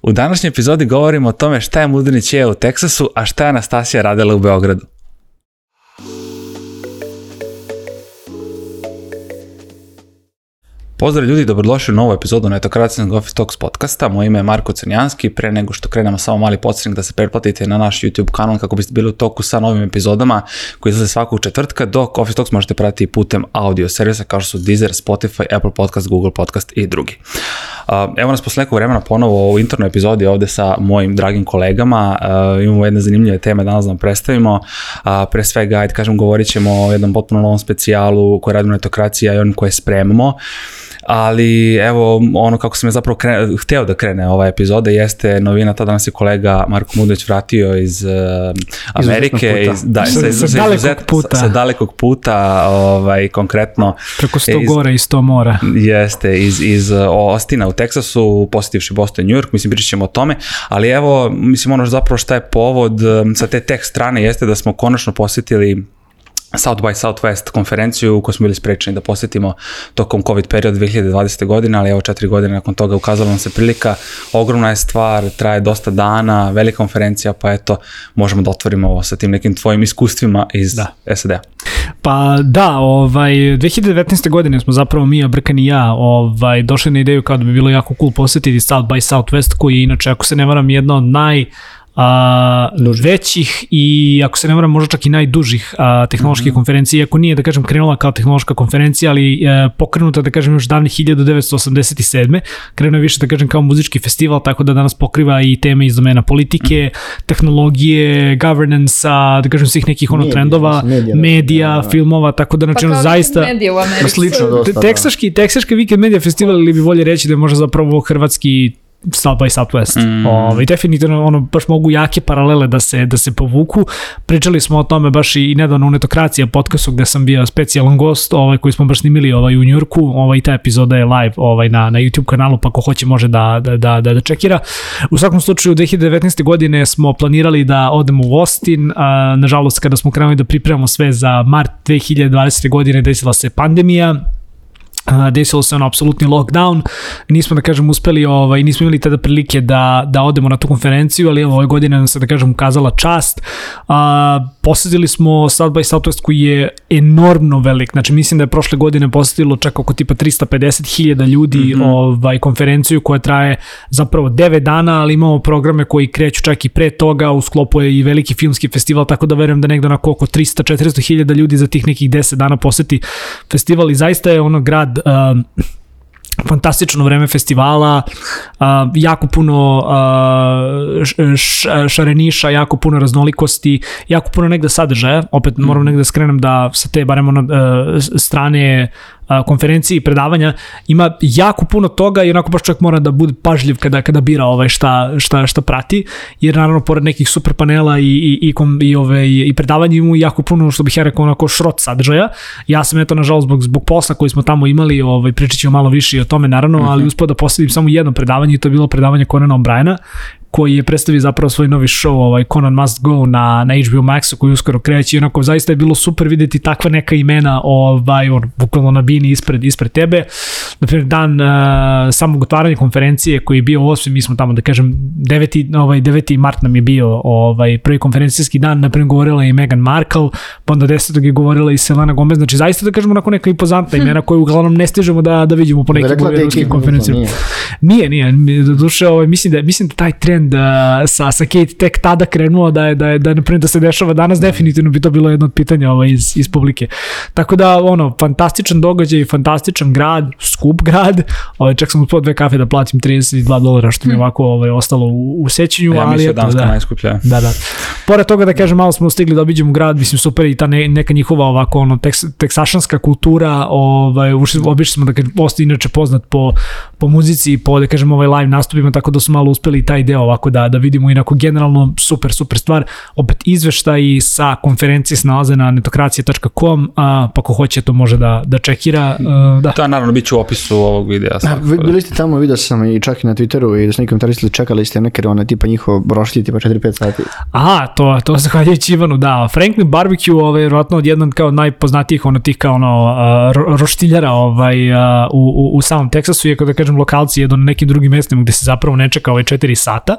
U današnjoj epizodi govorimo o tome šta je Mudrinić jeo u Teksasu, a šta je Anastasija radila u Beogradu. Pozdrav ljudi, dobrodošli u novu epizodu Netokracijskog Office Talks podcasta. Moje ime je Marko Crnjanski. Pre nego što krenemo, samo mali podsjetnik da se pretplatite na naš YouTube kanal kako biste bili u toku sa novim epizodama koji izlaze svakog četvrtka, dok Office Talks možete pratiti putem audio servisa kao što su Deezer, Spotify, Apple Podcast, Google Podcast i drugi. Evo nas posle nekog vremena ponovo u internoj epizodi ovde sa mojim dragim kolegama. Imamo jedne zanimljive teme danas da vam predstavimo. Pre svega, ajde kažem, govorit ćemo o jednom potpuno novom specijalu koji radimo Netokracija i onim koje spremamo. Ali evo, ono kako sam je zapravo hteo da krene ova epizoda jeste novina, tada nas je kolega Marko Mudrinić vratio iz Amerike, sa dalekog puta, konkretno preko 100 gora i 100 mora. Jeste, iz Austina u Teksasu, posjetivši Boston, New York, mislim pričat ćemo o tome, ali evo, mislim ono zapravo šta je povod sa te tech strane jeste da smo konačno posjetili South by Southwest konferenciju koju smo bili sprečeni da posjetimo tokom COVID period 2020. godine, ali evo 4 godine nakon toga ukazala nam se prilika, ogromna je stvar, traje dosta dana, velika konferencija, pa eto, možemo da otvorimo ovo sa tim nekim tvojim iskustvima iz SAD-a. Pa da, 2019. godine smo zapravo mi, Brkan i ja, došli na ideju kao da bi bilo jako cool posjetiti South by Southwest, koji je inače, ako se ne varam, jedna od većih i ako se ne varam možda čak i najdužih tehnoloških konferencija, iako nije da kažem krenula kao tehnološka konferencija, ali pokrenuta da kažem još davnih 1987. Krenuo je više da kažem kao muzički festival, tako da danas pokriva i teme iz domena politike, tehnologije, governance-a, da kažem svih nekih trendova, medija, filmova, tako da znači zaista medija u Americi. Slično dosta. Teksaški Weekend Media Festival, ili bi bolje reći da je možda zapravo hrvatski South by Southwest. Definitivno baš mogu jake paralele da se povuku. Pričali smo o tome baš i nedavno u Netokracija podcastu gde sam bio specijalan gost, koji smo baš snimili u Njujorku. I ta epizoda je live na YouTube kanalu, pa ko hoće može da čekira. U svakom slučaju 2019. godine smo planirali da odemo u Austin. Nažalost, kada smo krenuli da pripremamo sve za mart 2020. godine, desila se pandemija. Desilo se apsolutni lockdown, nismo da kažem uspeli, nismo imali tada prilike da odemo na tu konferenciju, ali ove godine nam se da kažem ukazala čast. Posjetili smo South by Southwest koji je enormno velik, znači mislim da je prošle godine posjetilo čak oko tipa 350.000 ljudi konferenciju koja traje zapravo 9 dana, ali imamo programe koji kreću čak i pre toga, u sklopu je i veliki filmski festival, tako da verujem da negdje onako oko 300-400.000 ljudi za tih nekih 10 dana posjeti festival i zaista je grad fantastično vreme festivala, jako puno šareniša, jako puno raznolikosti, jako puno negde sadržaja, opet moram negde skrenem da sa te barem strane konferencije i predavanja ima jako puno toga i onako baš čovjek mora da bude pažljiv kada bira šta prati, jer naravno pored nekih super panela i predavanja ima jako puno, što bih ja rekao, onako šrot sadržaja. Ja sam nažalost zbog posla koji smo tamo imali, pričat ćemo malo više o tome naravno, ali uspio da posjedim samo jedno predavanje i to je bilo predavanje Conana O'Briena, koji je predstavio zapravo svoj novi show, Conan Must Go na HBO Maxu koji uskoro kreće i onako zaista je bilo super vidjeti takva neka imena bukvalno na bini ispred tebe. Naprimjer, dan samog otvaranja konferencije koji je bio 8. mi smo tamo da kažem 9. mart nam je bio prvi konferencijski dan, naprimjer govorila i Meghan Markle, pa onda 10. je govorila i Selena Gomez, znači zaista da kažemo onako neka impozantna imena koje uglavnom ne stižemo da vidimo po nekim ruskim konferencijama. Nije, do duše mislim da taj trend sa Kate tek tada krenuo da se dešava danas, definitivno bi to bilo jedno od pitanja iz publike. Tako da, fantastičan događaj, fantastičan grad, skup grad, čak sam uspio 2 kafe da platim $32, što mi je ovako ostalo u sećanju. Ja mislim da Danska najskuplja. Da. Pored toga da kažem, malo smo stigli da obiđemo grad, mislim super i ta neka njihova ovako teksašanska kultura, obišli smo da kažem, Austin inače poznat po muzici i po da kažem live nastupima, tako da su malo uspeli taj deo ovako da vidimo, inako generalno super stvar. Opet izveštaji sa konferencije se nalaze na netokracija.com, pa ko hoće to može da čekira. Da, naravno, bit ću u opisu ovog videa. Bili ste tamo, vidio sam i čak i na Twitteru i da su neki komentarisali, čekali ste neke tipa njihov brošlji tipa 4-5 sati. to zahvaljujući Ivanu, da. Franklin Barbecue je vjerojatno odjednom kao najpoznatijih tih kao roštiljara u samom Teksasu, iako da kažem lokalci jedu na nekim drugim mestima gde se zapravo ne čeka 4 sata.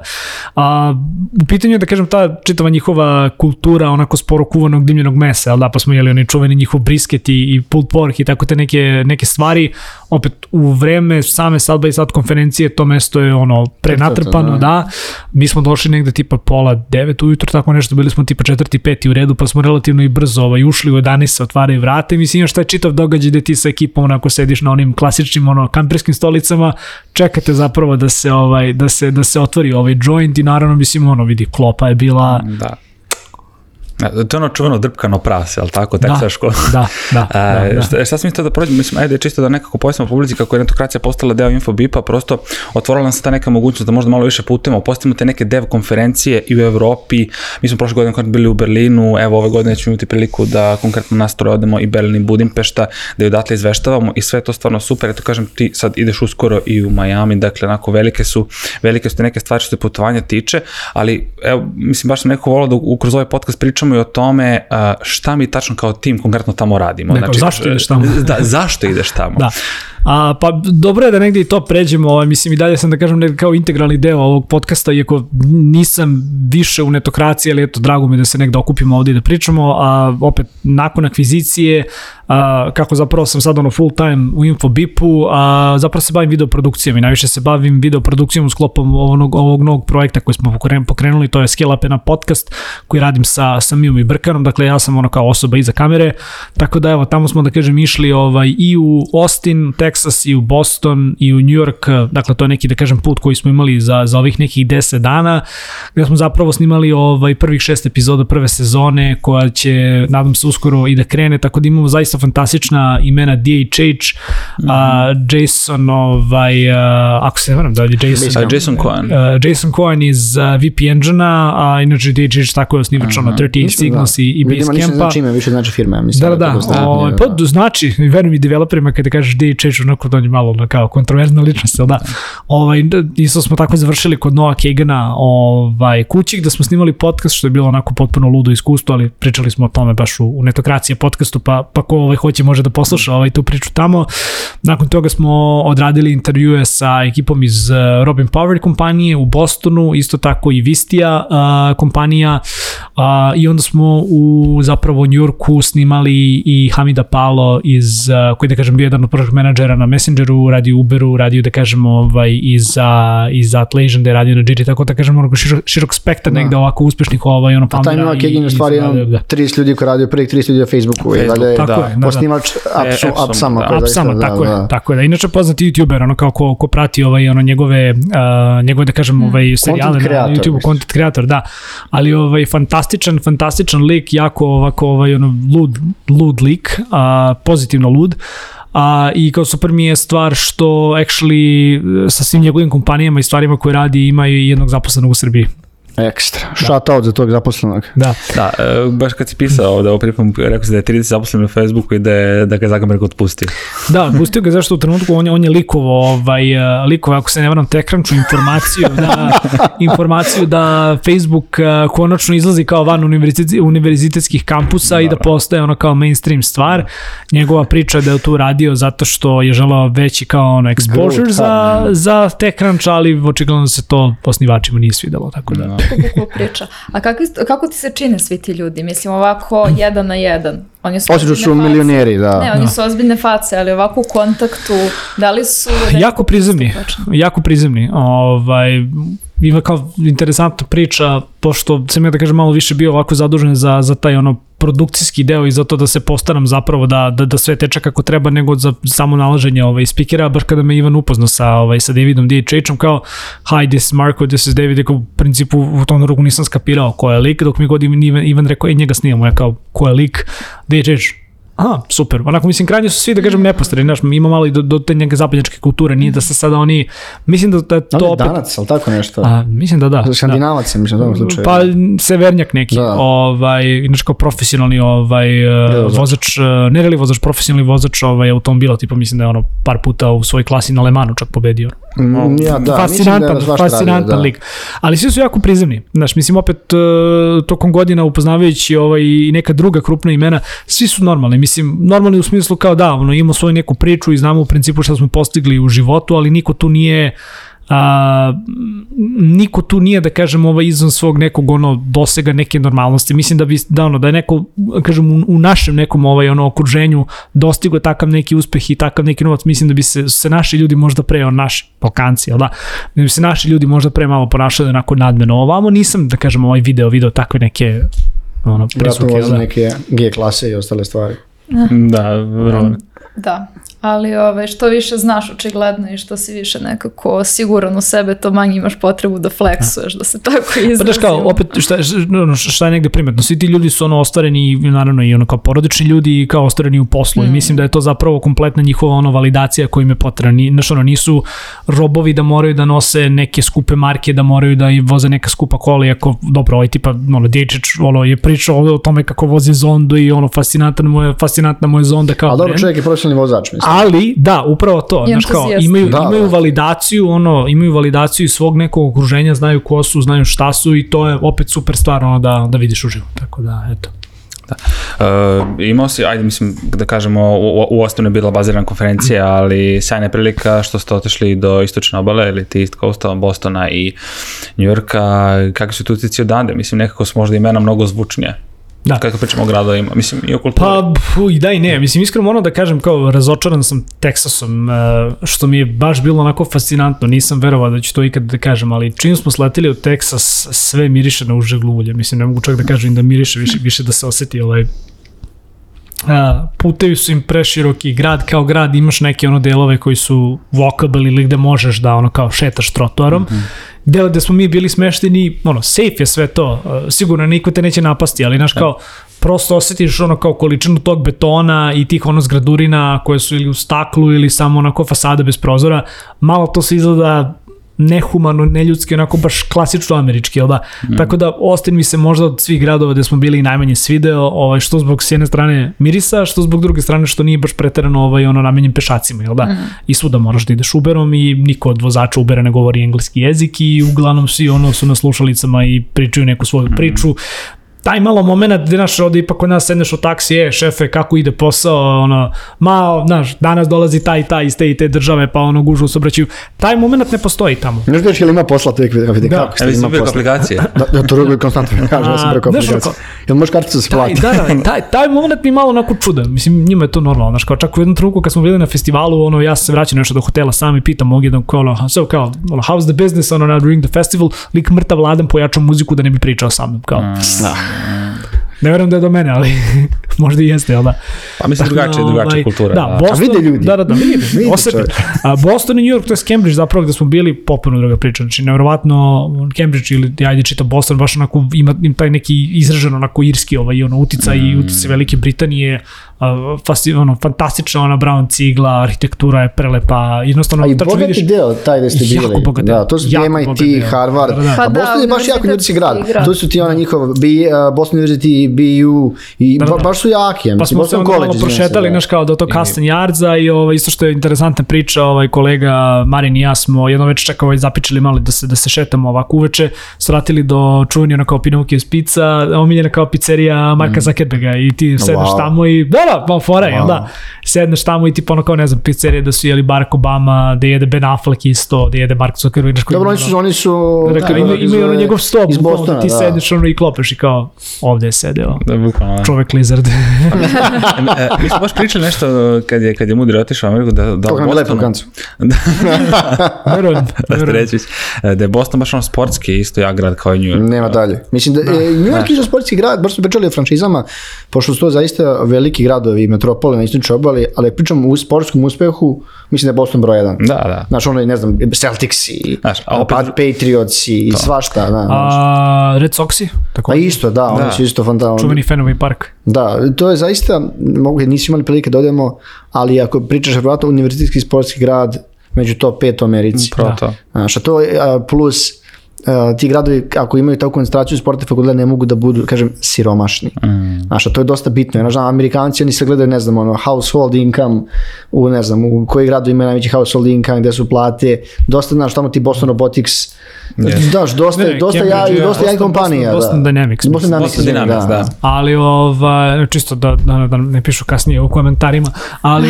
U pitanju je da kažem ta čitava njihova kultura onako sporo kuvanog dimljenog mesa, ali da, pa smo jeli oni čuveni njihov brisket i pulled pork i tako te neke stvari. Opet u vreme same South by South konferencije to mesto je prenatrpano, da. Mi smo došli negde tipa 8:30 ujutru, tako nešto, bili smo tipa 4. 5. u redu, pa smo relativno i brzo ušli u 11 se otvaraju vrata i mislim još taj čitav događaj gde ti sa ekipom onako sediš na onim klasičnim kamperskim stolicama, čekate zapravo da se otvori ovaj joint i naravno mislim vidi, klopa je bila... Da. To je čuveno drpkano prase, ali tako, teksaško. Da. Šta sam mislio da prođem, mislim, ajde čisto da nekako pojasnimo publici kako je netokracija postala deo Infobipa, prosto otvorila nam se ta neka mogućnost da možda malo više putujemo, postavimo te neke dev konferencije i u Evropi, mi smo prošle godine bili u Berlinu, evo ove godine ćemo imati priliku da konkretno nas troje odemo i Berlin i Budimpešta, da je odatle izveštavamo i sve to stvarno super, eto kažem, ti sad ideš uskoro i u Miami, dakle, onako, velike su te neke stvari što se putovanja tiče, ali evo, mislim, baš sam neko volao da kroz ovaj podcast pričamo i o tome šta mi tačno kao tim konkretno tamo radimo. Znači, zašto ideš tamo? Zašto ideš tamo? Da. Pa dobro je da negdje i to pređemo, mislim i dalje sam da kažem negdje kao integralni deo ovog podcasta, iako nisam više u netokraciji, ali eto, drago mi da se negdje okupimo ovdje i da pričamo, a opet nakon akvizicije, kako zapravo sam sad full time u Infobipu, zapravo se bavim videoprodukcijom i najviše se bavim videoprodukcijom u sklopom ovog novog projekta koji smo pokrenuli, to je Scale Up podcast koji radim sa Mijom i Brkanom, dakle ja sam kao osoba iza kamere, tako da evo, tamo smo da kažem išli i u Austin, Texas i u Boston i u New York, dakle to je neki da kažem put koji smo imali za ovih nekih 10 dana, gde smo zapravo snimali prvih 6 epizoda prve sezone koja će, nadam se, uskoro i da krene, tako da imamo zaista fantastična imena DHH, Jason, ako se ne varam da je Jason Cohen. Jason Cohen iz VP Engine-a, a inače DHH tako je osnivač 38 Signals i Basecampa. Više znači ime, više znači firme. Da. Pa znači, verujem i developerima kada kažeš DHH, onako da on je malo kao kontroverzna ličnost, da. Isto smo tako završili kod Noah Kagana kući gde smo snimali podcast, što je bilo onako potpuno ludo iskustvo, ali pričali smo o tome baš u netokracije podcastu, pa ko hoće može da posluša tu priču tamo. Nakon toga smo odradili intervjue sa ekipom iz Robin Power kompanije u Bostonu, isto tako i Vistia kompanija, i onda smo zapravo u New Yorku snimali i Hamida Palo koji da kažem bio jedan od project menadžera na Messengeru, radio Uberu, radio da kažem i za Atlassian, da je radio na Jiri, tako da kažem širok spektar negde ovako uspešnih foundera. A taj Noah Kagan je u stvari 30 ljudi koji radio, prvih 30 ljudi na Facebooku, posnimač Appsama. Tako je. Inače poznati YouTuber, kao ko prati njegove da kažem serijale na YouTube, content creator, da, ali fantastičan lik, jako ovako lud lik, pozitivno lud. I kao super mi je stvar što actually sa svim njegovim kompanijama i stvarima koje radi ima i jednog zaposlenog u Srbiji. Ekstra. Shout out za tog zaposlenog. Da, baš kad si pisao da pripom, rekao si da je 30 zaposlen na Facebooku i da ga Zuckerberg otpustio. Da, pustio ga zašto u trenutku on je likovao, ako se ne varam, TechCrunchu informaciju da Facebook konačno izlazi kao van univerzitetskih kampusa i da postaje kao mainstream stvar. Njegova priča da je tu radio zato što je želao veći kao exposure za TechCrunch, ali očigledno se to osnivačima nije svidelo, tako da. Priča. A kako ti se čine svi ti ljudi? Mislim, ovako 1 na 1. Osim su milioneri, da. Ne, oni su ozbiljne face, ali ovako u kontaktu, da li su... Jako prizemni. Ima kao interesantna priča, pošto sam ja da kažem malo više bio ovako zadužen za taj produkcijski deo i za to da se postaram zapravo da sve teče kako treba, nego za samo nalaženje speakera, baš kada me Ivan upoznao sa Davidom DHH-om, kao hi, this is Marko, this is David, u principu u tom ruku nisam skapirao ko je lik, dok mi god Ivan rekao, njega snimamo, ja kao ko je lik, DHH, Aha, super. Onako, mislim, krajnje su svi, da kažem, neposredni, znaš, ima malo i do te neke zapadnjačke kulture, nije da se sada oni, mislim da je to opet... Danac, ali tako nešto? Mislim da. Skandinavac, mislim, u tom slučaju. Pa, severnjak neki, inače kao profesionalni vozač, ne reli vozač, profesionalni vozač automobila, tipa mislim da je ono par puta u svojoj klasi na Le Mansu čak pobedio. Fascinantan lik. Ali svi su jako prizemni, znaš, mislim, opet tokom godina upoznavajući i neka druga krupna imena, svi su normalni, mislim, normalni u smislu kao da, imamo svoju neku priču i znamo u principu šta smo postigli u životu, ali niko tu nije, da kažem, izvan svog nekog dosega neke normalnosti. Mislim da je neko, kažem, u našem nekom okruženju dostigo takav neki uspeh i takav neki novac, mislim da bi se naši ljudi možda pre, naši Balkanci, jel da bi se naši ljudi možda pre malo ponašali onako nadmeno. Ovamo nisam, da kažem, video takve neke prisuke. Vratno neke G klase i ostale stvari. Da, vrlo. Da, ali što više znaš očigledno i što si više nekako siguran u sebe, to manje imaš potrebu da fleksuješ, da se tako izrazimo. Pa daš kao, opet, šta je negde primetno, svi ti ljudi su ostvareni, naravno i kao porodični ljudi i kao ostvareni u poslu i mislim da je to zapravo kompletna njihova validacija koja im je potrebna. Nisu robovi da moraju da nose neke skupe marke, da moraju da voze neka skupa kola, iako, dobro, tipa, Dječeć je pričao o tome kako vozi Zondu i fascinantna mu je Zonda kao brend. A dobro, čovjek je profesionalni vozač, mislim. Ali, da, upravo to, znaš kao, imaju validaciju, imaju validaciju svog nekog okruženja, znaju ko su, znaju šta su i to je opet super stvar da vidiš uživo, tako da, eto. Imao si, ajde mislim da kažemo, u Ostinu je bila bazirana konferencija, ali sjajna prilika što ste otišli do istočne obale ili ti East Coasta, Bostona i New Yorka, kakvi su tu utici odande? Mislim, nekako su možda imena mnogo zvučnije. Da. Kako pričamo o gradovima, mislim i o kulturi. Pa i da i ne, mislim iskreno da kažem kao razočaran sam Teksasom, što mi je baš bilo onako fascinantno, nisam verovao da ću to ikad da kažem, ali čim smo sleteli u Teksas, sve miriše na uže gluvlje, mislim ne mogu čak da kažem da miriše, više da se osjeti putevi su im preširoki, grad kao grad, imaš neke delove koji su walkable ili gde možeš da kao šetaš trotoarom, gde smo mi bili smešteni, safe je sve to, sigurno niko te neće napasti, ali znaš kao, prosto osjetiš kao količinu tog betona i tih zgradurina koje su ili u staklu ili samo onako fasada bez prozora, malo to se izgleda nehumano, neljudski, onako baš klasično američki, jel da? Tako da Austin mi se možda od svih gradova gde smo bili i najmanje svideo, što zbog s jedne strane mirisa, što zbog druge strane što nije baš preterano namenjen pešacima, jel da? I svuda moraš da ideš Uberom i niko od vozača Ubera ne govori engleski jezik i uglavnom svi su na slušalicama i pričaju neku svoju priču. Taj malo moment gde ovde ipak kod nas sedneš u taksi, šefe, kako ide posao, danas dolazi taj iz te i te države, pa gužu se obraćaju. Taj moment ne postoji tamo. Ne znaš li ima posla, to je kako ste ima posla. Aplikacije. Da, to ruguju konstantno, kaže, ja sam preko aplikacije. Jel možeš karticu se plati? Taj moment mi malo onako čudan, mislim, njima je to normalno, čak u jednom trenutku kad smo bili na festivalu, ja sam se vraćao nešto do hotela sam i pitam ovdje jedan how's the business, during the festival, lik mrtav ladan pojačao muziku da ne bi pričao sa mnom, kao. Ne verujem da je do mene, ali možda i jeste, jel da? Pa mislim drugačija kultura. Da, Boston, vide ljudi. Da, vidi, osjeti. Boston i New York, to je Cambridge zapravo gde smo bili, popuno druga priča, znači nevjerovatno Cambridge ili ajde čita Boston, baš onako ima taj neki izražen onako irski uticaj i uticaj Velike Britanije, fantastična brown cigla, arhitektura je prelepa, jednostavno... A i bogati deo taj gde ste bili. Jako bogat deo. To su MIT, Harvard, a Boston je baš jako ljudski grad. To su ti njihov Boston University, BU i baš su jaki. Pa smo se malo prošetali, znaš kao do tog Castan Yardsa i isto što je interesantna priča, kolega Marin i ja smo jedno večer čak zapičali malo da se šetamo ovako uveče, sratili do čuvanja kao Pinocchio's pizza, omiljena kao pizzerija Marka Zuckerberga i ti sedneš tamo i fora, jel da? Sedneš tamo i ti kao ne znam, pizzerije da su jeli Barack Obama, da jede Ben Affleck isto, da jede Mark Zuckerberg. Dobro, oni su... Imaju njegov stop, ti sedneš i klopeš i kao ovde je sedeo čovek lizard. Mi smo baš pričali nešto kad je Mudri otišao u Ameriku da u Bostonu... Da je Boston baš sportski isto jak grad kao i New York. Nema dalje. Mislim da New York je sportski grad, baš smo pričali o franšizama, pošto su to zaista veliki gradovi, metropole na istočnoj obali, ali pričam u sportskom uspehu, mislim da je Boston broj 1. Da. Znaš, ono je, ne znam, Celtics i Patriots i svašta. Red Soxi? A isto, da, oni su isto fantasno. Čuveni Fenway Park. Da, to je zaista, nismo imali prilike da odemo, ali ako pričaš vjerojatno univerzitetski sportski grad među top 5 u Americi. Znaš, a to plus ti gradovi, ako imaju takvu koncentraciju sporta fakulteta, ne mogu da budu, kažem, siromašni. Znaš, a to je dosta bitno. Znaš, Amerikanci, oni se gledaju, ne znam, household income, ne znam, u koji gradu imaju najveći household income, gde su plate, dosta, znaš, tamo ti Boston Robotics, znaš, dosta jak kompanija. Boston Dynamics. Boston Dynamics, da. Ali, čisto da ne pišu kasnije u komentarima, ali,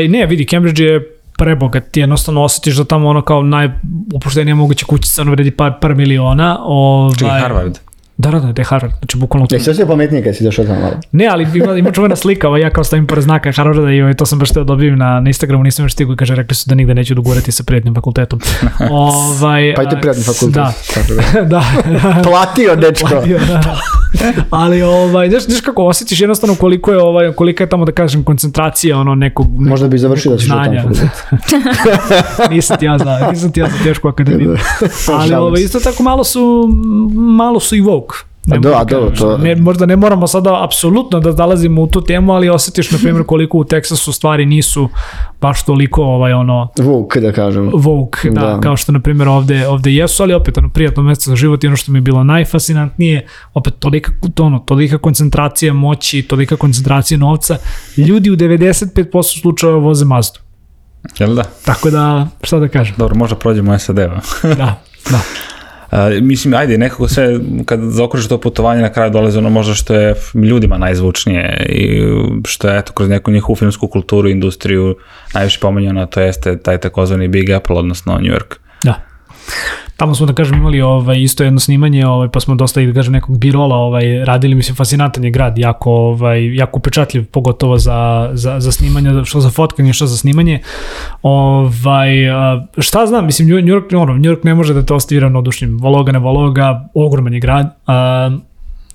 ne, vidi, Cambridge je prebogat, ti jednostavno osjetiš da tamo ono kao najupuštenija moguća kućica, ono vredi par miliona. Čekaj, Harvard. Da je Harvard, znači bukvalno... Sve se pametnije kad si došao tamo malo. Ne, ali ima čuvena slika, ja kao stavim pored znaka Harvarda i to sam baš teo dobijem na Instagramu, nisam još stigu i kaže, rekli su da nigde neću dogurati sa prijetnim fakultetom. Pa ide prijetni fakultet. Da. Platio, dečko. Ali, znaš kako osjetiš jednostavno kolika je tamo, da kažem, koncentracija nekog možda bi završio da si što tamo fakultet. Nisam ti ja za tešku akademiju. Ali isto tako malo su i woke. Možda ne moramo sada apsolutno da dalazimo u tu temu, ali osjetiš, na primjer, koliko u Teksasu stvari nisu baš toliko woke, da kažem. Woke, da, kao što, na primjer, ovde jesu, ali opet, prijatno mjesto za život i ono što mi je bilo najfascinantnije, opet, tolika koncentracija moći, tolika koncentracija novca, ljudi u 95% slučajeva voze Mazdu. Jel da? Tako da, šta da kažem? Dobro, možda prođemo SAD-a. Da. Mislim, ajde, nekako sve, kad zaokružiš to putovanje, na kraju dolazi možda što je ljudima najzvučnije i što je, kroz neku njihovu filmsku kulturu, industriju, najviše pomenjeno, to jeste taj takozvani Big Apple, odnosno New York. Da. Tamo smo, da kažem, imali isto jedno snimanje, pa smo dosta, da kažem, nekog birola radili, mislim, fascinantan je grad, jako upečatljiv, pogotovo za snimanje, što za fotkanje, što za snimanje. Šta znam, mislim, New York ne može da te ostavi ravnodušnim, Vologa, ogroman je grad,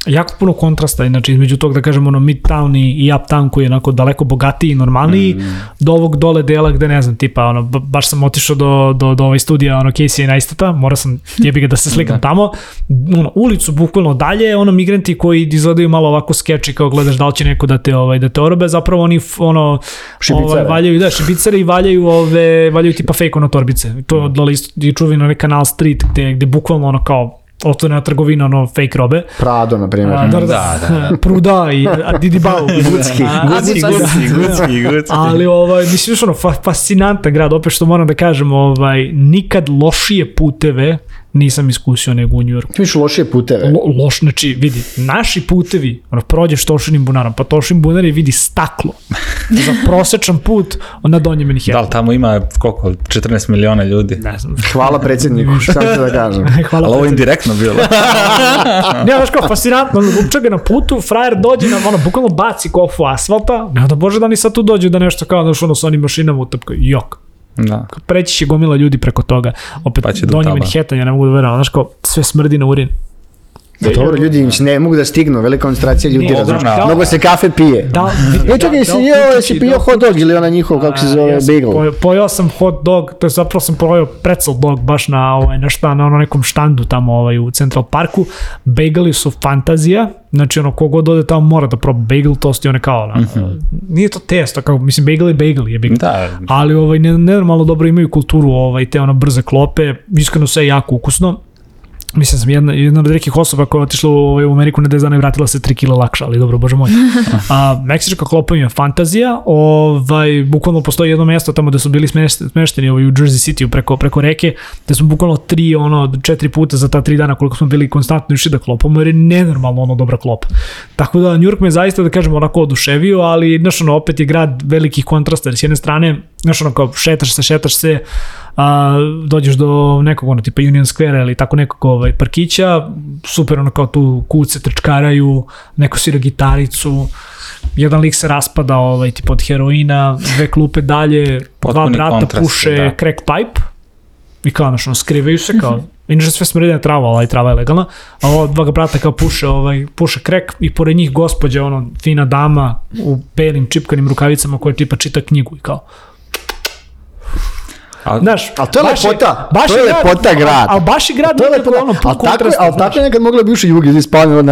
jako puno kontrasta, znači između tog, da kažem, Midtown i Uptown koji je onako daleko bogatiji i normalniji, do ovog dole dela gde, ne znam, tipa, baš sam otišao do ovaj studija, Casey Neistata, morao sam jebi ga da se slikam tamo, ulicu bukvalno dalje, migranti koji izgledaju malo ovako skeči, kao gledaš da li će neko da te orobe, zapravo oni valjaju, šibicari i valjaju tipa fake torbice, to dole isto je čuveno onaj Canal Street gde bukvalno kao otvorena trgovina, fake robe. Prado, na primjer. Da. Pruda i Didi Bau. Gutski. Ali, mislim, fascinantan grad, opet što moram da kažem, nikad lošije puteve nisam iskusio nego u New Yorku. Ti misliš lošije puteve? Znači, vidi, naši putevi, prođeš Tošinim bunarom, pa Tošin bunar je vidi staklo. Za prosečan put na Donjem Manhattanu. Da li tamo ima koliko? 14 miliona ljudi? Ne znam. Hvala predsjedniku, šta ću da kažem. Ali ovo je indirektno bilo. Ne, znaš kao, fascinantno, lupča ga na putu, frajer dođe na, bukvalno baci kofu asfalta, ne da bože da oni sad tu dođu da nešto kao, znaš, s onim mašinama utapkaju, jok. Da. Preći će gomila ljudi preko toga. Opet, Donji Manhattan, ja ne mogu da verujem, znaš kao, sve smrdi na urin. Dobro, ljudi ne mogu da stignu, velika koncentracija ljudi, mnogo se kafe pije. Čekaj, si pio hot dog ili ona njihov, kako se zove, bagel? Pojao sam hot dog, to je zapravo sam pojao pretzel dog baš na nekom štandu tamo u Central Parku. Bageli su fantazija, znači kogod ode tamo mora da proba bagel, tost je kao, nije to testo, kao, mislim, bagel je bagel. Ali nenormalno dobro imaju kulturu, te brze klope, iskreno sve jako ukusno. Mislim, sam jedna od rekih osoba koja je otišla u Ameriku na 10 dana i vratila se 3 kila lakša, ali dobro, bože moj. Meksička klopa im je fantazija, bukvalno postoji jedno mjesto tamo gde su bili smešteni u Jersey City preko reke, gde smo bukvalno 4 puta za ta 3 dana koliko smo bili konstantno išli da klopamo, jer je nenormalno dobra klopa. Tako da New York me zaista, da kažem, onako oduševio, ali opet je grad velikih kontrasta, jer s jedne strane, kao šetaš se, dođeš do nekog tipa Union Square ili tako nekog parkića, super kao tu kuce trčkaraju, neko svira gitaricu, jedan lik se raspada tipa od heroina, 2 klupe dalje, potpuni 2 brata puše crack pipe i kao skrivaju se kao, inače sve smredi trava, ali trava je legalna, a ova 2 brata kao puše crack i pored njih gospođa, fina dama u belim čipkanim rukavicama koja tipa čita knjigu i kao Znaš, ali to je lepota, to je lepota grad. Ali baš je grad nekako ono pun kontrasta. Ali tako je nekad moglo bi uši jugi, da spavamo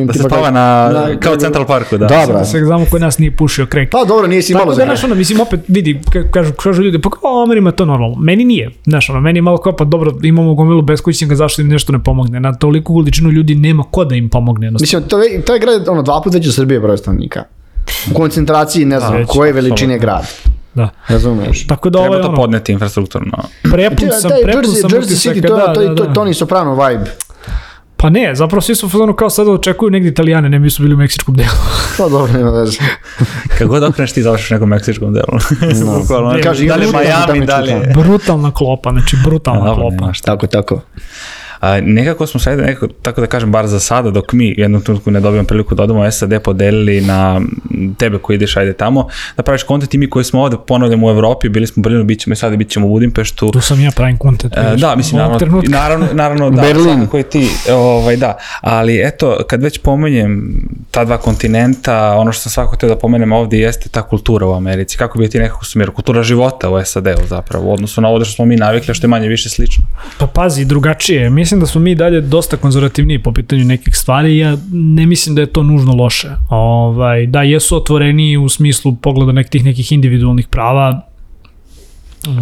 da se spava kao Central Parku, da. Dobro. Se znamo koji nas nije pušio krek. Pa dobro, nije si malo za krek. Tako da, mislim, opet vidi, kažu ljudi, pa kao Amerima to normalno. Meni nije. Znaš, meni je malo kao, pa dobro, imamo gomilu beskućnika, zašto im nešto ne pomogne. Na toliku količinu ljudi nema ko da im pomogne. Mislim, to je grad 2 puta veći u Srbije broj stanovnika. U koncentraciji, ne znam, koje veličine grad. Da. Razumeš. Tako da treba to podneti infrastrukturno. Prepun sam Jersey City, Tony Soprano vibe. Pa ne, zapravo svi su u fazonu kao sada očekuju negdje Italijane, ne bi su bili u meksičkom delu. Pa dobro, nema veze. Kako god okreneš ti završiš u nekom meksičkom delu. Da li Miami, da li... Brutalna klopa, znači brutalna klopa. Tako. Nekako smo sad, tako da kažem, bar za sada, dok mi jednom trenutku ne dobijemo priliku da odemo SAD, podelili na tebe koji ideš, ajde tamo, da praviš kontent i mi koji smo ovde, ponavljamo u Evropi, bili smo u Berlinu, bit ćemo i sada, bit ćemo u Budimpeštu. Tu sam ja pravim kontent. Da, mislim, naravno da, svakako i ti, da, ali eto, kad već pomenjem ta dva kontinenta, ono što sam svakako htio da pomenem ovde jeste ta kultura u Americi, kako bi ti nekako sumirao, kultura života u SAD-u zapravo, u odnosu na ovo što smo mi navikli, što je manje više slično. Pa pazi, drugačije, mislim da smo mi dalje dosta konzervativniji po pitanju nekih stvari, ja ne mislim da je to nužno loše. Da, jesu otvoreniji u smislu pogleda nekih individualnih prava,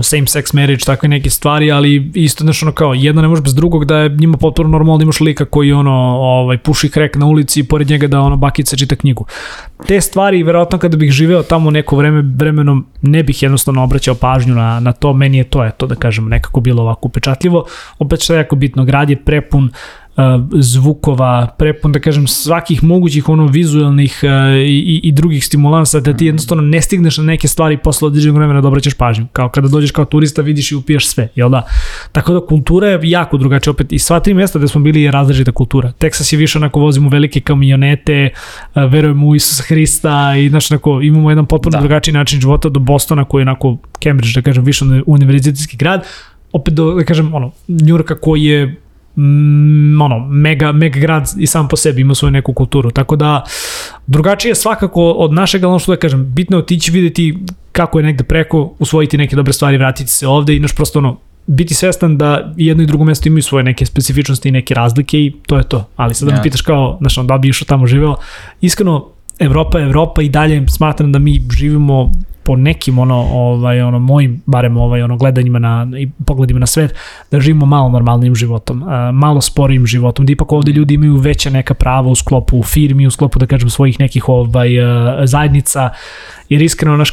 same sex marriage, takve neke stvari, ali isto nešto kao, jedno ne može bez drugog, da je njima potpuno normalno da imaš lika koji puši krek na ulici i pored njega da bakica čita knjigu. Te stvari, verovatno kada bih živeo tamo neko vremenom, ne bih jednostavno obraćao pažnju na to, meni je to, da kažem, nekako bilo ovako upečatljivo. Opet što je jako bitno, grad je prepun zvukova, prepun, da kažem, svakih mogućih vizualnih i drugih stimulansa, da ti jednostavno ne stigneš na neke stvari posle određenog vremena da obraćaš pažnju. Kao kada dođeš kao turista, vidiš i upijaš sve, jel da? Tako da kultura je jako drugačija, opet i sva 3 mjesta gde smo bili je različita kultura. Texas je više onako, vozimo velike kamionete, verujemo u Isusa Hrista i znaš, onako, imamo jedan potpuno drugačiji način života, do Bostona koji je onako Cambridge, da kažem, više univerzitetski grad, opet do, da kažem, Njurka koji je mega grad i sam po sebi ima svoju neku kulturu, tako da drugačije svakako od našeg, ali što da kažem, bitno je otići vidjeti kako je negde preko, usvojiti neke dobre stvari, vratiti se ovde i просто biti svestan da jedno i drugo mesto imaju svoje neke specifičnosti i neke razlike i to je to, ali sad da me pitaš kao, da bi išao tamo živeo, iskreno Evropa i dalje smatram da mi živimo po nekim mojim barem gledanjima i pogledima na svet, da živimo malo normalnim životom, malo sporijim životom, da ipak ovde ljudi imaju veća neka prava u sklopu firmi, u sklopu, da kažem, svojih nekih zajednica, jer iskreno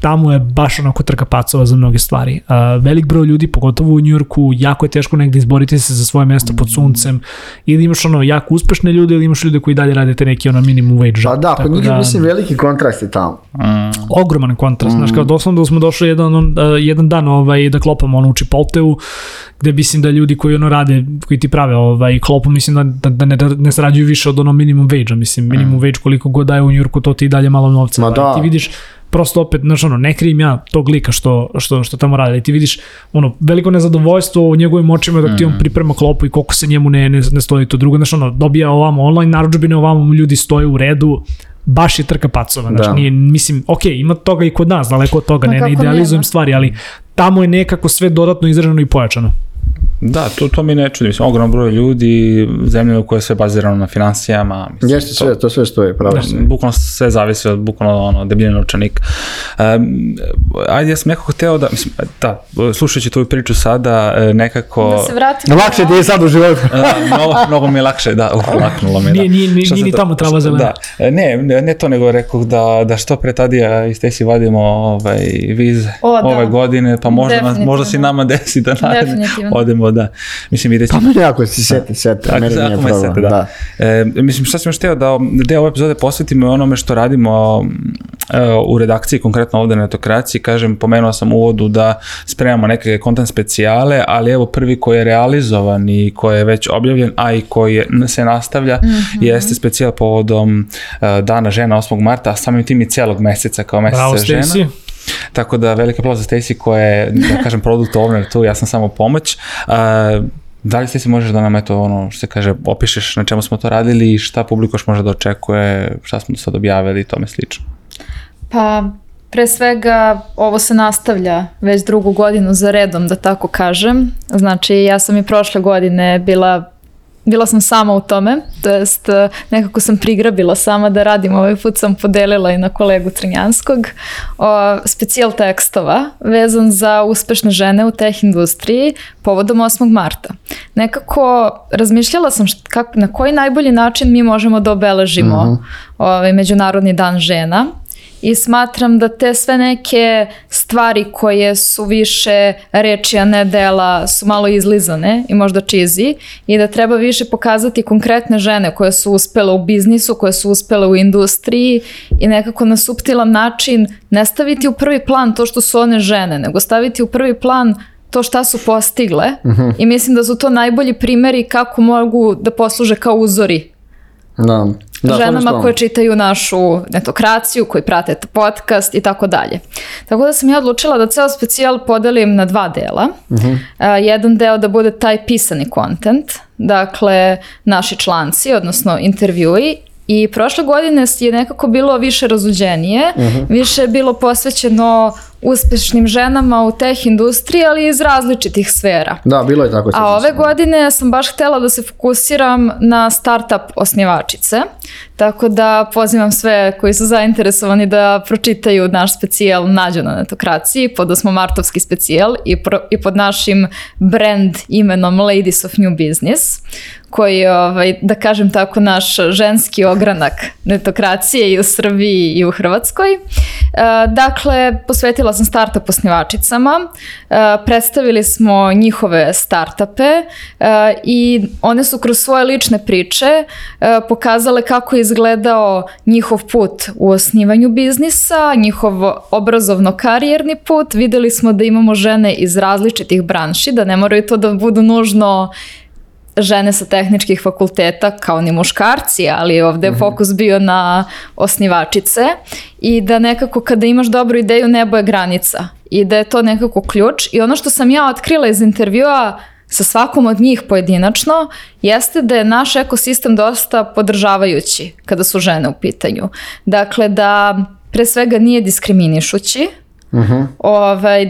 tamo je baš onako trka pacova za mnoge stvari. Velik broj ljudi, pogotovo u Njujorku, jako je teško negdje izboriti se za svoje mesto pod suncem, ili imaš jako uspešne ljude, ili imaš ljude koji dalje rade te neki minimum wage job. Pa da, kod njih mislim veliki kontrast je tamo. Ogroman kontrast. Znaš, kao doslovno da smo došli jedan dan da klopamo u Chipotleu, gde mislim da ljudi koji rade, koji ti prave klopu, mislim da ne sarađuju više od minimum wage-a. Mislim, minimum wage koliko god daje u Njujorku, to ti dalje malo novca. Ti vidiš, prosto opet, ne krivim ja tog lika što tamo radi. Ti vidiš veliko nezadovoljstvo u njegovim očima dok ti on priprema klopu i koliko se njemu ne stoji to drugo. Dobija ovamo online narudžbine, ovamo ljudi stoje u redu, baš je trka pacova. Mislim, ima toga i kod nas, daleko od toga, ne idealizujem stvari, ali tamo je nekako sve dodatno izraženo i pojačano. Da, to mi ne čudi. Mislim, ogromno broj ljudi, zemlje u kojoj je sve bazirano na finansijama. Jeste to sve stoji, pravo. Bukvalno sve zavisi od bukvalno debljine novčanika. Ajde, ja sam nekako hteo da, mislim, slušajući tvoju priču sada, nekako... Da se vratim. Lakše ti je sad u životu. Mnogo mi je lakše, laknulo mi je. Nije ni tamo trava zelena. Ne to, nego rekao da što pre Tadija i Stacey vadimo vize ove godine, pa možda se nama desi da odemo, da. Mislim, vidjet ćemo. Pa meni ako si sete, meni nije problem, da. Mislim, šta sam još hteo da deo ove epizode posvetimo onome što radimo u redakciji, konkretno ovde na Netokraciji. Kažem, pomenuo sam u uvodu da spremamo neke content specijale, ali evo prvi koji je realizovan i koji je već objavljen, a i koji se nastavlja, jeste specijal povodom Dana žena 8. marta, a samim tim i celog meseca kao meseca žena. Bravo, Stacey. Tako da velika aplauz za Stacey koja je, da kažem, product owner tu, ja sam samo pomoć. Da li Stacey možeš da nam što se kaže, opišeš na čemu smo to radili i šta publika još može da očekuje, šta smo do sad objavili i tome slično? Pa Pre svega, ovo se nastavlja već 2. godinu za redom, da tako kažem. Znači, ja sam i prošle godine bila sam sama u tome, to jest nekako sam prigrabila sama da radim, ovaj put sam podelila i na kolegu Crnjanskog, specijal tekstova vezan za uspešne žene u teh industriji povodom 8. marta. Nekako razmišljala sam na koji najbolji način mi možemo da obeležimo Međunarodni dan žena. I smatram da te sve neke stvari koje su više reči, a ne dela, su malo izlizane i možda cheesy i da treba više pokazati konkretne žene koje su uspele u biznisu, koje su uspele u industriji i nekako na suptilan način ne staviti u prvi plan to što su one žene, nego staviti u prvi plan to šta su postigle i mislim da su to najbolji primjeri kako mogu da posluže kao uzori ženama koje čitaju našu netokraciju, koji prate podcast i tako dalje. Tako da sam ja odlučila da ceo specijal podelim na 2 dela. Jedan deo da bude taj pisani content, dakle naši članci, odnosno intervjui. I prošle godine je nekako bilo više razuđenije, više je bilo posvećeno uspešnim ženama u teh industriji, ali iz različitih sfera. Da, bilo je tako. A ove godine sam baš htjela da se fokusiram na startup osnivačice, tako da pozivam sve koji su zainteresovani da pročitaju naš specijal Nađu na netokraciji pod 8. martovski specijal i pod našim brand imenom Ladies of New Business, koji je, da kažem tako, naš ženski ogranak netokracije i u Srbiji i u Hrvatskoj. Dakle, posvetila sam startup osnivačicama, predstavili smo njihove startupe i one su kroz svoje lične priče pokazale kako je izgledao njihov put u osnivanju biznisa, njihov obrazovno-karijerni put. Videli smo da imamo žene iz različitih branši, da ne moraju to da budu nužno žene sa tehničkih fakulteta kao ni muškarci, ali ovdje je fokus bio na osnivačice i da nekako kada imaš dobru ideju nebo je granica i da je to nekako ključ. I ono što sam ja otkrila iz intervjua sa svakom od njih pojedinačno jeste da je naš ekosistem dosta podržavajući kada su žene u pitanju. Dakle, da pre svega nije diskriminišući,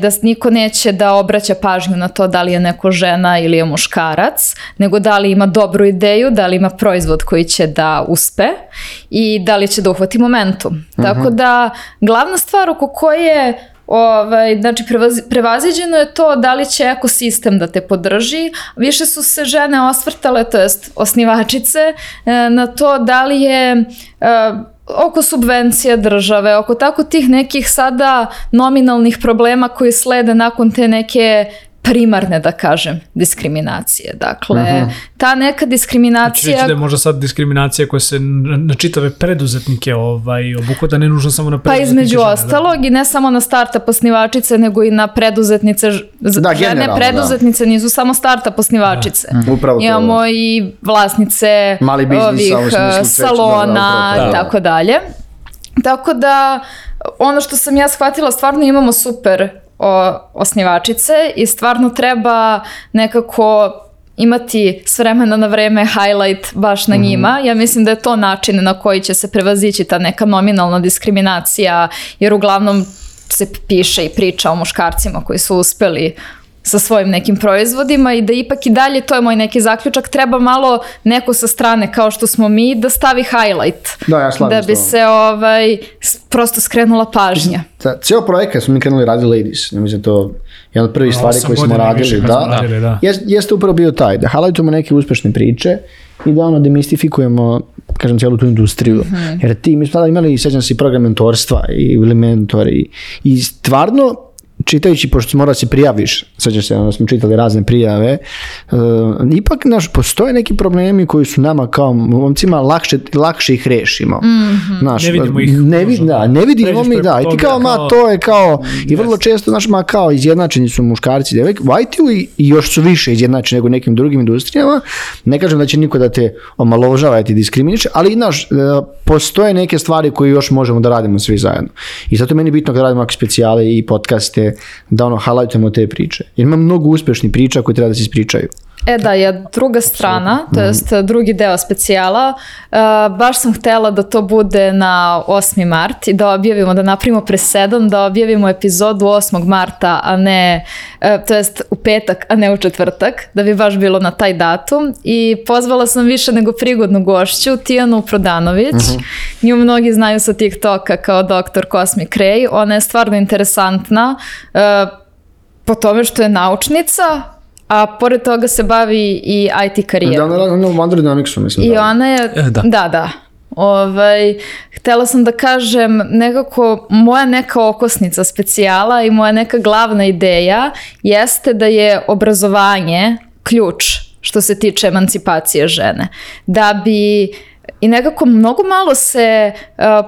da niko neće da obraća pažnju na to da li je neko žena ili je muškarac, nego da li ima dobru ideju, da li ima proizvod koji će da uspe i da li će da uhvati momentum. Tako da glavna stvar oko koje znači prevaziđeno je to da li će ekosistem da te podrži. Više su se žene osvrtale, to jest osnivačice, na to da li je oko subvencija države, oko tako tih nekih sada nominalnih problema koji slede nakon te neke primarne, da kažem, diskriminacije. Dakle, ta neka diskriminacija... Znači da je možda sad diskriminacija koja se na čitave preduzetnike obuhvata, ne nužno samo na preduzetnike. Pa između ostalog i ne samo na startup osnivačice, nego i na preduzetnice. Žene preduzetnice nisu samo startup osnivačice. Imamo i vlasnice ovih salona i tako dalje. Tako da, ono što sam ja shvatila, stvarno imamo super osnivačice i stvarno treba nekako imati s vremena na vreme highlight baš na njima. Ja mislim da je to način na koji će se prevazići ta neka nominalna diskriminacija, jer uglavnom se piše i priča o muškarcima koji su uspeli sa svojim nekim proizvodima i da ipak i dalje, to je moj neki zaključak, treba malo neko sa strane kao što smo mi da stavi highlight. Da bi se prosto skrenula pažnja. Cijel projekat smo mi krenuli radili Ladies. Ja mislim to jedna od prvih stvari koje smo radili. Jeste upravo bio taj, da highlightujemo neke uspešne priče i da demistifikujemo, kažem, cijelu tu industriju. Jer mi smo tada imali, sjećam se, i program mentorstva i mentori i stvarno čitajući, pošto mora se prijaviš, sjećaš se, onda smo čitali razne prijave, ipak postoje neki problemi koji su nama kao momcima lakše ih rešimo. Ne vidimo ih. Ne vidimo mi, da. I ti kao, to je kao, i vrlo često, kao izjednačeni su muškarci i devojke, u IT-u i još su više izjednačeni nego nekim drugim industrijama. Ne kažem da će niko da te omalovažava i ti diskriminiše, ali postoje neke stvari koje još možemo da radimo svi zajedno. I zato je meni bitno kad radimo specijale i podcaste, da highlightujemo te priče. Jer ima mnogo uspešnih priča koje treba da se ispričaju. Da, je druga strana, to jest drugi deo specijala. Baš sam htela da to bude na 8. mart i da objavimo, da napravimo presedan, da objavimo epizodu 8. marta, a ne, to jest u petak, a ne u četvrtak, da bi baš bilo na taj datum. I pozvala sam više nego prigodnu gošću, Tijanu Prodanović. Nju mnogi znaju sa TikToka kao Dr. Cosmic Ray. Ona je stvarno interesantna po tome što je naučnica, a pored toga se bavi i IT karijerom. Da, ona je u Android Dynamicsu, mislim. I ona je, da. Htela sam da kažem, nekako moja neka okosnica specijala i moja neka glavna ideja jeste da je obrazovanje ključ što se tiče emancipacije žene. Da bi i nekako mnogo malo se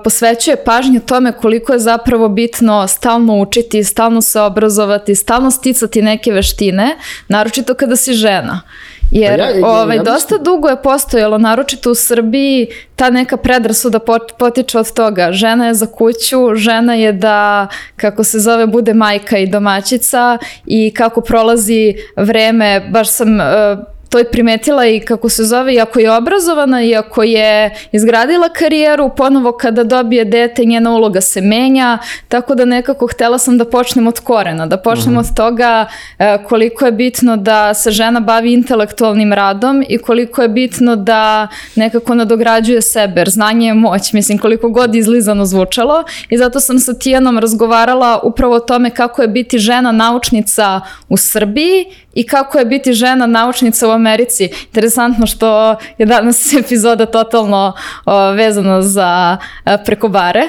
posvećuje pažnju tome koliko je zapravo bitno stalno učiti, stalno se obrazovati, stalno sticati neke veštine, naročito kada si žena. Jer dosta dugo je postojalo, naročito u Srbiji, ta neka predrasuda potiče od toga. Žena je za kuću, žena je da, kako se zove, bude majka i domaćica i kako prolazi vreme, baš sam to je primetila i kako se zove, iako je obrazovana, iako je izgradila karijeru, ponovo kada dobije dete, njena uloga se menja, tako da nekako htela sam da počnem od korena, da počnem od toga koliko je bitno da se žena bavi intelektualnim radom i koliko je bitno da nekako nadograđuje sebe, jer znanje je moć, mislim, koliko god izlizano zvučalo, i zato sam sa Tijanom razgovarala upravo o tome kako je biti žena naučnica u Srbiji i kako je biti žena naučnica u Americi. Interesantno što je danas epizoda totalno vezana za prekobare.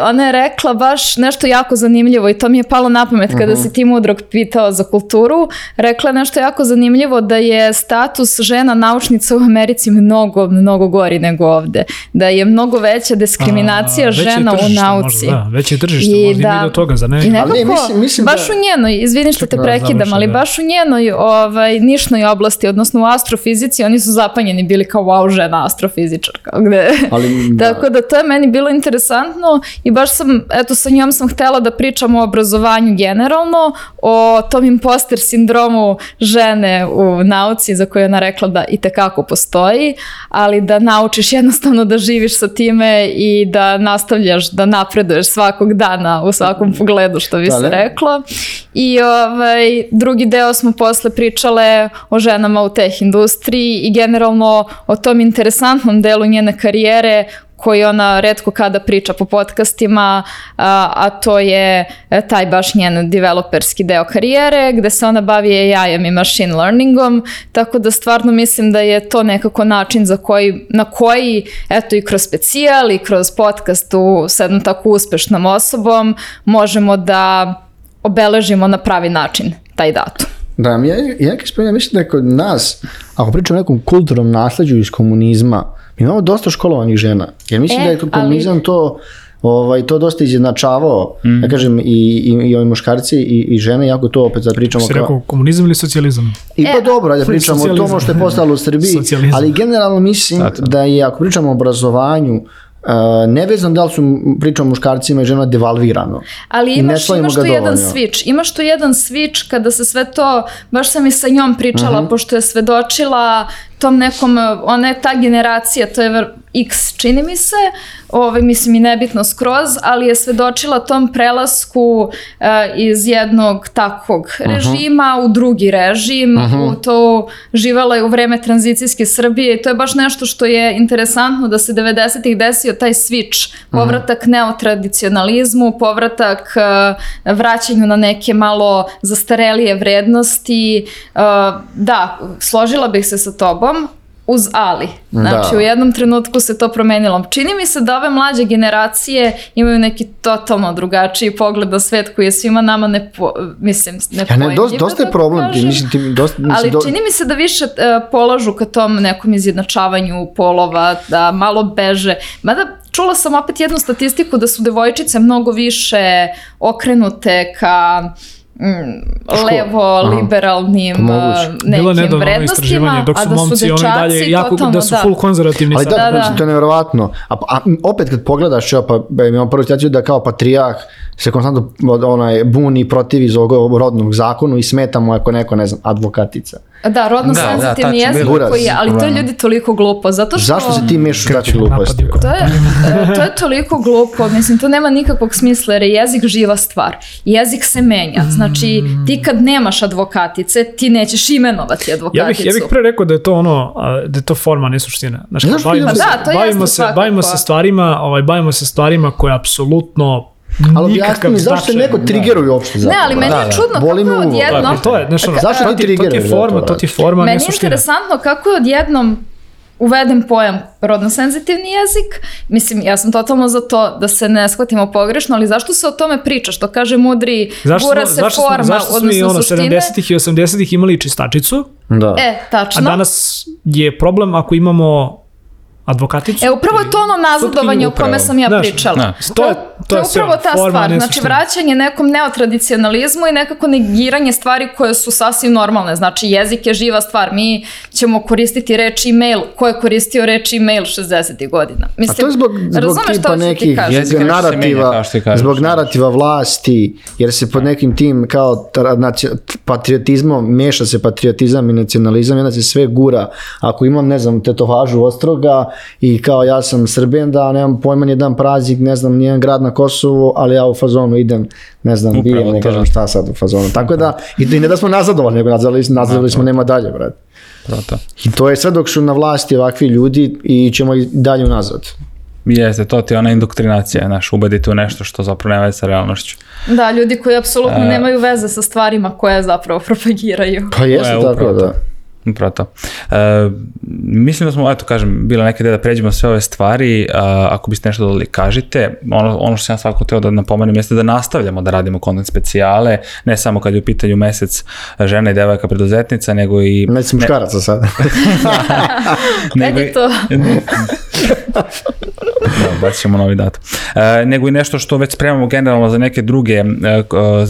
Ona je rekla baš nešto jako zanimljivo i to mi je palo na pamet kada si ti Mudrog pitao za kulturu. Rekla je nešto jako zanimljivo, da je status žena naučnica u Americi mnogo, mnogo gori nego ovde. Da je mnogo veća diskriminacija žena u nauci. Veće je tržište, možda ima do toga, za ne? I nekako, baš u njenoj, izvini što te prekidam, ali baš u njenoj nišnoj oblasti, odnosno u astrofizici, oni su zapanjeni bili kao wow, žena astrofizičarka. Tako da to je meni bilo interesantno i baš sam, sa njom sam htela da pričam o obrazovanju generalno, o tom imposter sindromu žene u nauci za koju je ona rekla da itekako postoji, ali da naučiš jednostavno da živiš sa time i da nastavljaš, da napreduješ svakog dana u svakom pogledu, što bi se reklo. I drugi deo smo posle pričale o ženama u teh industriji i generalno o tom interesantnom delu njene karijere koji ona retko kada priča po podcastima, a to je taj baš njen developerski deo karijere gde se ona bavi AI-em i machine learningom, tako da stvarno mislim da je to nekako način na koji eto i kroz specijal i kroz podcast sa jednom tako uspešnom osobom možemo da obeležimo na pravi način taj datum. Da, ja mislim da je kod nas, ako pričamo o nekom kulturnom nasleđu iz komunizma, mi imamo dosta školovanih žena, jer mislim da je komunizam to dosta izjednačavao, ja kažem, i ovi muškarci i žene, jako to opet da pričamo kao... Si rekao komunizam ili socijalizam? I pa dobro, da pričamo o tomu što je postalo u Srbiji, ali generalno mislim da je, ako pričamo o obrazovanju, nevezano da li su pričamo muškarcima i ženama devalvirano. Ali imaš tu jedan switch. Imaš tu jedan switch kada se sve to, baš sam i sa njom pričala, pošto je svedočila tom nekom, ona je ta generacija, to je X čini mi se, mislim i nebitno skroz, ali je svedočila tom prelasku iz jednog takvog režima u drugi režim, to živala je u vreme tranzicijske Srbije i to je baš nešto što je interesantno da se 90-ih desio taj switch, povratak neotradicionalizmu, povratak vraćanju na neke malo zastarelije vrednosti. Da, složila bih se sa tobom, uz ali. Znači, u jednom trenutku se to promenilo. Čini mi se da ove mlađe generacije imaju neki totalno drugačiji pogled na svet koji je svima nama nepojemljiv. Dosta je problem. Ali čini mi se da više polažu ka tom nekom izjednačavanju polova, da malo beže. Mada čula sam opet jednu statistiku da su devojčice mnogo više okrenute ka levo-liberalnim nekim vrednostima, dok su momci oni dalje jako da su full konzervativni. Ali da, to je nevjerovatno. A opet kad pogledaš, pa imamo prvu situaciju da kao patrijah se konstantno buni protiv iz ovog rodnog zakonu i smeta mu ako neko, ne znam, advokatica. Da, rodno senzitivni jezik koji je, ali to je ljudi toliko glupo, zato što... Zašto se ti mešaš daći gluposti? To je toliko glupo, mislim, to nema nikakvog smisla, jer je jezik živa stvar. Jezik se menja, znači ti kad nemaš advokatice, ti nećeš imenovati advokaticu. Ja bih pre rekao da je to ono, da je to forma, ne suština. Znači, bavimo se stvarima koje apsolutno ali objasni mi, zašto se neko trigeruje uopšte zapravo? Ne, ali meni je čudno kako je odjednom... Zašto ti trigeruje? To ti je forma, meni je interesantno kako je odjednom uveden pojam rodno-senzitivni jezik. Mislim, ja sam totalno za to da se ne shvatimo pogrešno, ali zašto se o tome priča? Što kaže mudri, gura se forma, zašto smo mi 70-ih i 80-ih imali čistačicu? Da. Tačno. A danas je problem ako imamo advokaticu. Upravo je to ono nazadovanje o kome sam ja pričala. To je upravo ta stvar. Znači, vraćanje nekom neotradicionalizmu i nekako negiranje stvari koje su sasvim normalne. Znači, jezik je živa stvar. Mi ćemo koristiti reč e-mail. Ko je koristio reč e-mail 60. godina? Mislim, a to je zbog tipa nekih zbog narativa vlasti, jer se pod nekim tim kao patriotizmom, meša se patriotizam i nacionalizam, jedna se sve gura. Ako imam, ne znam, tetovažu Ostroga, i kao ja sam Srbijan, da nemam pojma nijedan praznik, ne znam, nijedan grad na Kosovu, ali ja u fazonu idem, ne znam, bijem, ne kažem šta sad u fazonu. Tako da, i ne da smo nazadovali, nego nazadovali smo nema dalje, brad. I to je sve dok su na vlasti ovakvi ljudi i ćemo i dalje unazad. Jeste, to ti je ona indoktrinacija, ubediti u nešto što zapravo nema veze sa realnošću. Da, ljudi koji apsolutno nemaju veze sa stvarima koje zapravo propagiraju. Pa jeste tako, da. Upravo to. Mislim da smo, eto kažem, bila neka ideja da pređemo sve ove stvari, ako biste nešto dodali, kažite. Ono što sam ja svakako teo da napomenem jeste da nastavljamo da radimo content specijale, ne samo kad je u pitanju mesec žena i devojka preduzetnica, nego i... Mesec muškaraca sad. Nego je to... Bacit ćemo novi datum. Nego i nešto što već spremamo generalno za neke druge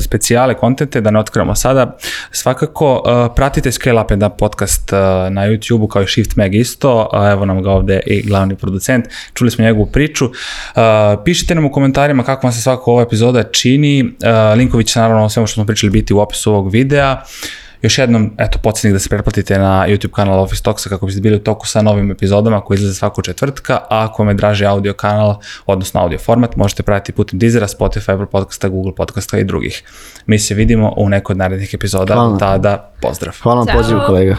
specijale kontente, da ne otkrivamo sada. Svakako, pratite Scale Up & Up podcast na YouTube-u kao i Shift Mag isto. Evo nam ga ovde i glavni producent. Čuli smo njegovu priču. Pišite nam u komentarima kako vam se svaka ova epizoda čini. Linkovi će naravno o svemu što smo pričali biti u opisu ovog videa. Još jednom, podsjetnik da se pretplatite na YouTube kanal Office Talksa kako biste bili u toku sa novim epizodama koji izlaze svakog četvrtka, a ako vam je draži audio kanal, odnosno audio format, možete pratiti putem Deezera, Spotify, Apple Podcasta, Google Podcasta i drugih. Mi se vidimo u nekoj od narednih epizoda. Tada, pozdrav. Hvala vam pozivu, kolega.